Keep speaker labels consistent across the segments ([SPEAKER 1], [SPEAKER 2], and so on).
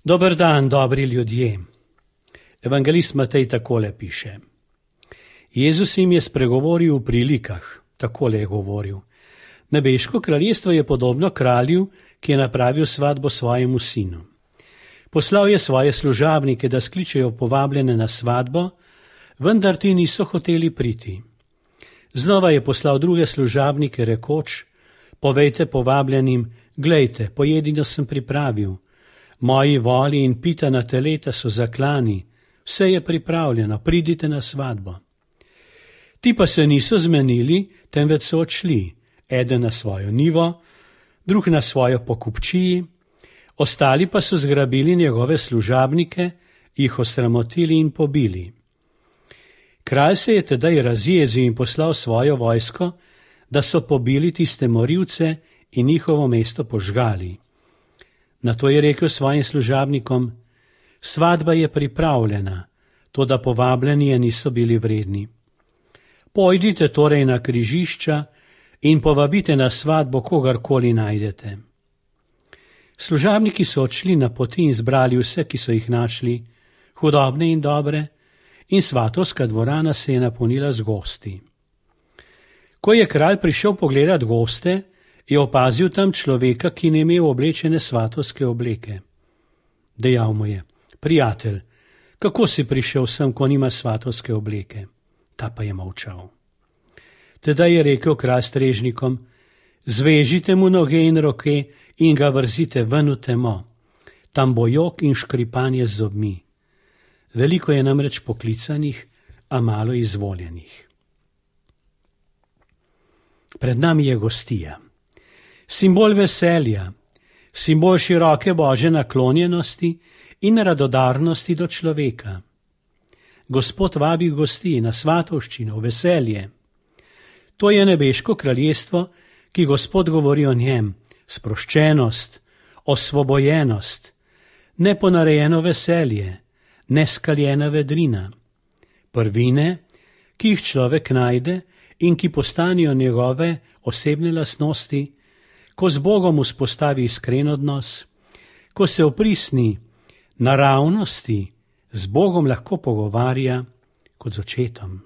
[SPEAKER 1] Dober dan, dobri ljudje. Evangelist Matej takole piše. Jezus jim je spregovoril v prilikah, takole je govoril. Nebeško kraljestvo je podobno kralju, ki je napravil svatbo svojemu sinu. Poslal je svoje služabnike, da skličejo povabljene na svatbo, vendar ti niso hoteli priti. Znova je poslal druge služabnike rekoč, povejte povabljenim, glejte, pojedino sem pripravil. Moji voli in pitana teleta so zaklani, vse je pripravljeno, pridite na svatbo. Ti pa se niso zmenili, temveč so odšli, eden na svojo nivo, drug na svojo pokupčiji, ostali pa so zgrabili njegove služabnike, jih osramotili in pobili. Kralj se je tedaj razjezil in poslal svojo vojsko, da so pobili tiste morilce in njihovo mesto požgali. Nato je rekel svojim služabnikom, svatba je pripravljena, toda povabljeni je niso bili vredni. Pojdite torej na križišča in povabite na svatbo kogarkoli najdete. Služabniki so odšli na poti in zbrali vse, ki so jih našli, hudobne in dobre, in svatovska dvorana se je napolnila z gosti. Ko je kralj prišel pogledat goste, je opazil tam človeka, ki ni imel oblečene svatovske obleke. Dejal mu je, prijatelj, kako si prišel sem, ko nima svatovske obleke? Ta pa je molčal. Tedaj je rekel kralj strežnikom, zvežite mu noge in roke in ga vrzite ven v temo. Tam bo jok in škripanje z zobmi. Veliko je namreč poklicanih, a malo izvoljenih. Pred nami je gostija. Simbol veselja, simbol široke božje naklonjenosti in radodarnosti do človeka. Gospod vabi gosti na svatovščino, veselje. To je nebeško kraljestvo, ki Gospod govori o njem, sproščenost, osvobojenost, neponarejeno veselje, neskaljena vedrina. Prvine, ki jih človek najde in ki postanijo njegove osebne lastnosti, ko z Bogom vzpostavi iskren odnos, ko se oprisni naravnosti, z Bogom lahko pogovarja kot z očetom.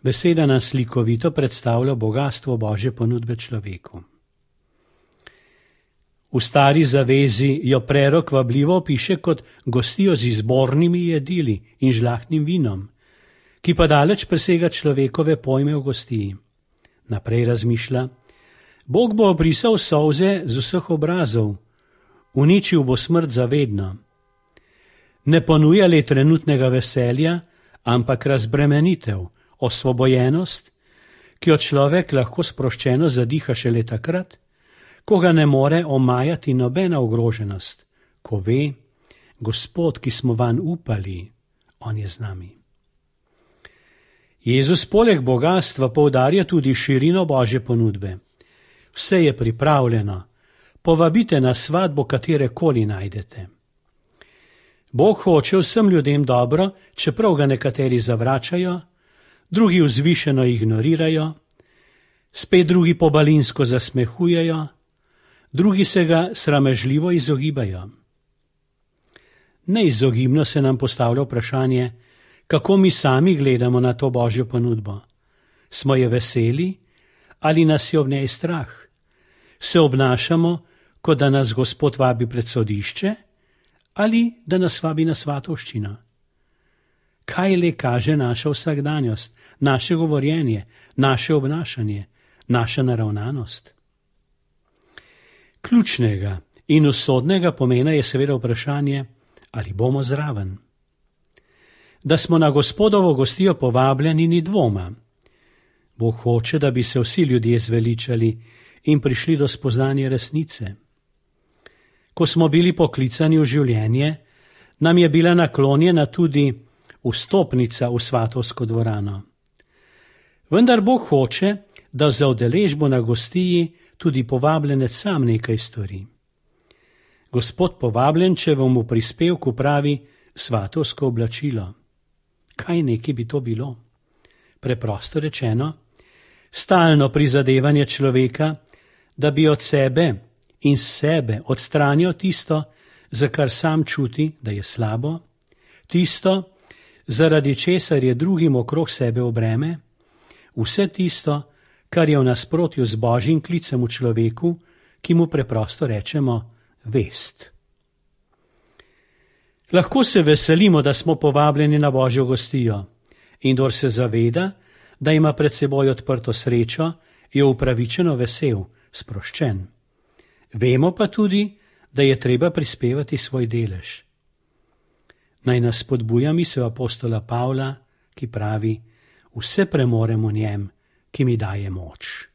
[SPEAKER 1] Beseda nam slikovito predstavlja bogastvo Božje ponudbe človeku. V stari zavezi jo prerok vabljivo opiše kot gostijo z izbornimi jedili in žlahtnim vinom, ki pa daleč presega človekove pojme v gostiji. Naprej razmišlja, Bog bo obrisal solze z vseh obrazov, uničil bo smrt zavedno. Ne ponuja le trenutnega veselja, ampak razbremenitev, osvobojenost, ki jo človek lahko sproščeno zadiha šele takrat, ko ga ne more omajati nobena ogroženost, ko ve, Gospod, ki smo vanj upali, on je z nami. Jezus poleg bogastva poudarja tudi širino Božje ponudbe. Vse je pripravljeno, povabite na svatbo katerekoli najdete. Bog hoče vsem ljudem dobro, čeprav ga nekateri zavračajo, drugi vzvišeno ignorirajo, spet drugi pobalinsko zasmehujejo, drugi se ga sramežljivo izogibajo. Neizogibno se nam postavlja vprašanje, kako mi sami gledamo na to Božjo ponudbo. Smo je veseli ali nas je ob njej strah? Se obnašamo, kot da nas Gospod vabi pred sodišče ali da nas vabi na svatovščino? Kaj le kaže naša vsakdanjost, naše govorjenje, naše obnašanje, naša naravnanost? Ključnega in usodnega pomena je seveda vprašanje, ali bomo zraven. Da smo na Gospodovo gostijo povabljeni, ni dvoma. Bog hoče, da bi se vsi ljudje zveličali in prišli do spoznanja resnice. Ko smo bili poklicani v življenje, nam je bila naklonjena tudi vstopnica v svatovsko dvorano. Vendar Bog hoče, da za udeležbo na gostiji tudi povabljenec sam nekaj stori. Gospod povabljenčevu v prispevku pravi svatovsko oblačilo. Kaj neki bi to bilo? Preprosto rečeno, stalno prizadevanje človeka, da bi od sebe in sebe odstranil tisto, za kar sam čuti, da je slabo, tisto, zaradi česar je drugim okrog sebe v breme, vse tisto, kar je v nasprotju z Božjim klicem v človeku, ki mu preprosto rečemo vest. Lahko se veselimo, da smo povabljeni na Božjo gostijo, in kdor se zaveda, da ima pred seboj odprto srečo, je upravičeno vesel, sproščen. Vemo pa tudi, da je treba prispevati svoj delež. Naj nas spodbuja misel apostola Pavla, ki pravi: vse premorem v njem, ki mi daje moč.